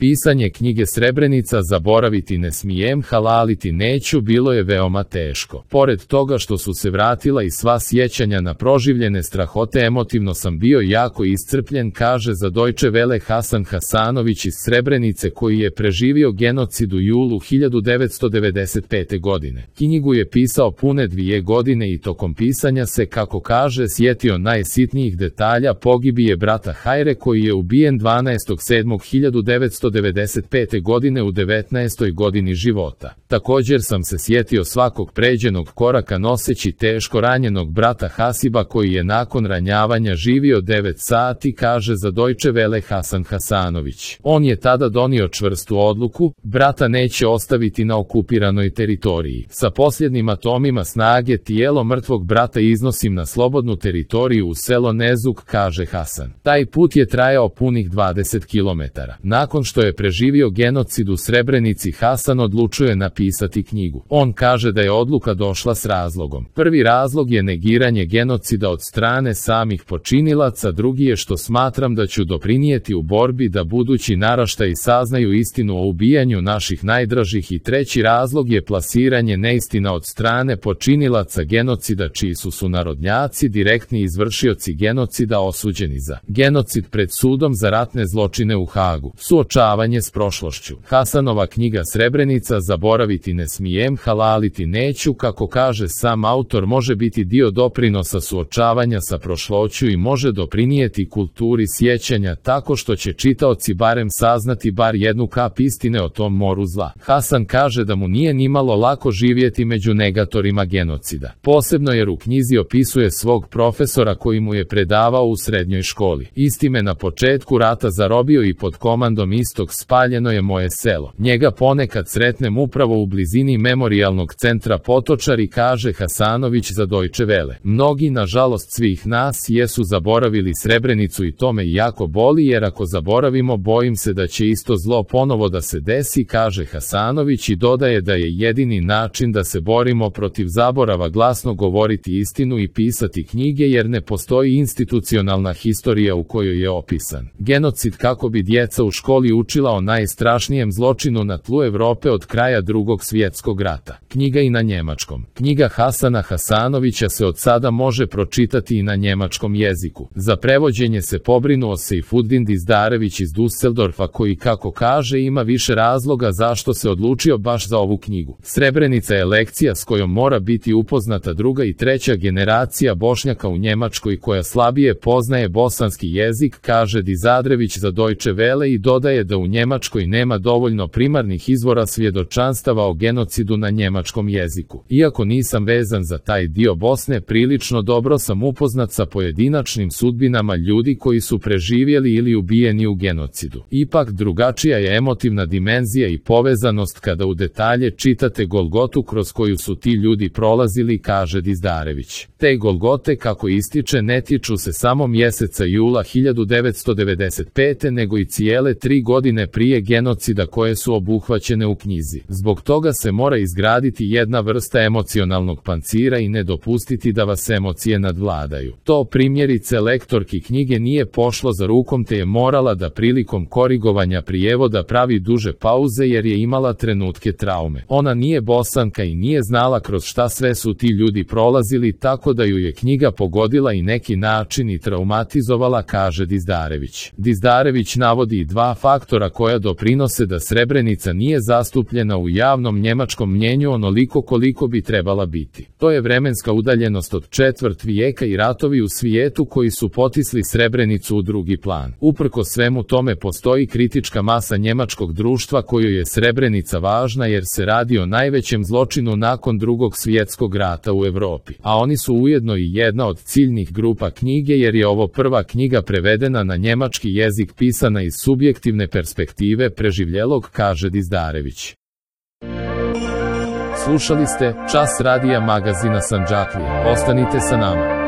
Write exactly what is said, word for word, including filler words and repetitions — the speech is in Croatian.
Pisanje knjige Srebrenica zaboraviti ne smijem, halaliti neću bilo je veoma teško. Pored toga što su se vratila i sva sjećanja na proživljene strahote, emotivno sam bio jako iscrpljen, kaže za Deutsche Welle Hasan Hasanović iz Srebrenice, koji je preživio genocid u julu hiljadu devetsto devedeset pete. godine. Knjigu je pisao pune dvije godine i tokom pisanja se, kako kaže, sjetio najsitnijih detalja pogibije brata Hajre, koji je ubijen dvanaestog sedmog hiljadu devetsto devedeset pete. godine u devetnaestoj godini života. Također sam se sjetio svakog pređenog koraka noseći teško ranjenog brata Hasiba, koji je nakon ranjavanja živio devet sati, kaže za Deutsche Welle Hasan Hasanović. On je tada donio čvrstu odluku, brata neće ostaviti na okupiranoj teritoriji. Sa posljednjim atomima snage tijelo mrtvog brata iznosim na slobodnu teritoriju u selo Nezuk, kaže Hasan. Taj put je trajao punih dvadeset kilometara. Nakon što je preživio genocid u Srebrenici, Hasan odlučuje napisati knjigu. On kaže da je odluka došla s razlogom. Prvi razlog je negiranje genocida od strane samih počinilaca, drugi je što smatram da ću doprinijeti u borbi da budući naraštaji saznaju istinu o ubijanju naših najdražih, i treći razlog je plasiranje neistina od strane počinilaca genocida čiji su sunarodnjaci direktni izvršioci genocida osuđeni za genocid pred sudom za ratne zločine u Hagu. Suočavanje s prošlošću. Hasanova knjiga Srebrenica zaboraviti ne smijem, halaliti neću, kako kaže sam autor, može biti dio doprinosa suočavanja sa prošlošću i može doprinijeti kulturi sjećanja tako što će čitaoci barem saznati bar jednu kap istine o tom moru zla. Hasan kaže da mu nije nimalo lako živjeti među negatorima genocida. Posebno jer u knjizi opisuje svog profesora koji mu je predavao u srednjoj školi. Istime na početku rata zarobio i pod komandom istog spaljeno je moje selo. Njega ponekad sretnem upravo u blizini memorijalnog centra Potočari, kaže Hasanović za Deutsche Welle. Mnogi, nažalost svih nas, jesu zaboravili Srebrenicu i to me jako boli, jer ako zaboravimo bojim se da će isto zlo ponovo da se desi, kaže Hasanović, i dodaje da je jedini način da se borimo protiv zaborava glasno govoriti istinu i pisati knjige, jer ne postoji institucionalna historija u kojoj je opisan genocid kako bi djeca u školi učila o najstrašnijem zločinu na tlu Evrope od kraja Drugog svjetskog rata. Knjiga i na njemačkom. Knjiga Hasana Hasanovića se od sada može pročitati i na njemačkom jeziku. Za prevođenje se pobrinuo Sejfudin Dizdarević iz Dusseldorfa, koji, kako kaže, ima više razloga zašto se odlučio baš za ovu knjigu. Srebrenica je lekcija s kojom mora biti upoznata druga i treća generacija Bošnjaka u Njemačkoj koja slabije poznaje bosanski jezik, kaže Dizadrević za Deutsche Welle, i dodaje da u Njemačkoj nema dovoljno primarnih izvora svjedočanstava o genocidu na njemačkom jeziku. Iako nisam vezan za taj dio Bosne, prilično dobro sam upoznat sa pojedinačnim sudbinama ljudi koji su preživjeli ili ubijeni u genocidu. Ipak drugačija je emotivna dimenzija i povezanost kada u detalje čitate Golgotu kroz koju su ti ljudi prolazili, kaže Dizdarević. Te Golgote, kako ističe, ne tiču se samo mjeseca jula hiljadu devetsto devedeset pete. nego i cijele tri godine prije genocida koje su obuhvaćene u knjizi. Zbog toga se mora izgraditi jedna vrsta emocionalnog pancira i ne dopustiti da vas emocije nadvladaju. To primjerice lektorki knjige nije pošlo za rukom, te je morala da prilikom korigovanja prijevoda pravi duže pauze jer je imala trenutke traume. Ona nije Bosanka i nije znala kroz šta sve su ti ljudi prolazili, tako da ju je knjiga pogodila i neki način i traumatizovala, kaže Dizdarević. Dizdarević navodi i dva faktora koja doprinose da Srebrenica nije zastupljena u javnom njemačkom mnjenju onoliko koliko bi trebala biti. To je vremenska udaljenost od četvrt vijeka i ratovi u svijetu koji su potisli Srebrenicu u drugi plan. Uprko svemu tome postoji kritička masa njemačkog društva kojoj je Srebrenica važna jer se radi o najvećem zločinu nakon Drugog svjetskog rata u Evropi. A oni su ujedno i jedna od ciljnih grupa knjige jer je ovo prva knjiga prevedena na njemački jezik pisana iz subjektivne perspektive preživljelog, kaže Dizdarević. Slušali ste Čas radija magazina Sandžaklija. Ostanite sa nama.